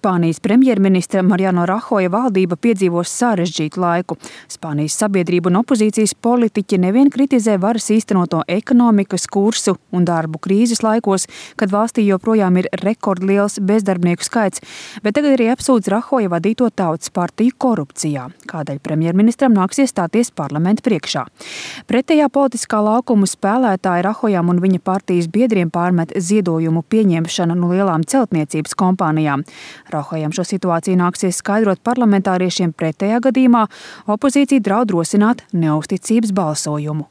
Spānijas premjerministra Mariano Rajoja valdība piedzīvos sarežģītu laiku. Spānijas sabiedrība un opozīcijas politiķi nevien kritizē varas īstenoto ekonomikas kursu un darbu krīzes laikos, kad valstī joprojām ir rekordliels bezdarbnieku skaits, bet tagad arī apsūdz Rajoja vadīto Tautas partiju korupcijā, kādēļ premjerministram nāksies stāties parlamenta priekšā. Pretējā politiskā laukuma spēlētāji Rajojam un viņa partijas biedriem pārmet ziedojumu pieņemšanu no lielām celtniecības kompānijām. Rajojam šo situāciju nāksies skaidrot parlamentāriešiem, pretējā gadījumā opozīcija draud rosināt neusticības balsojumu.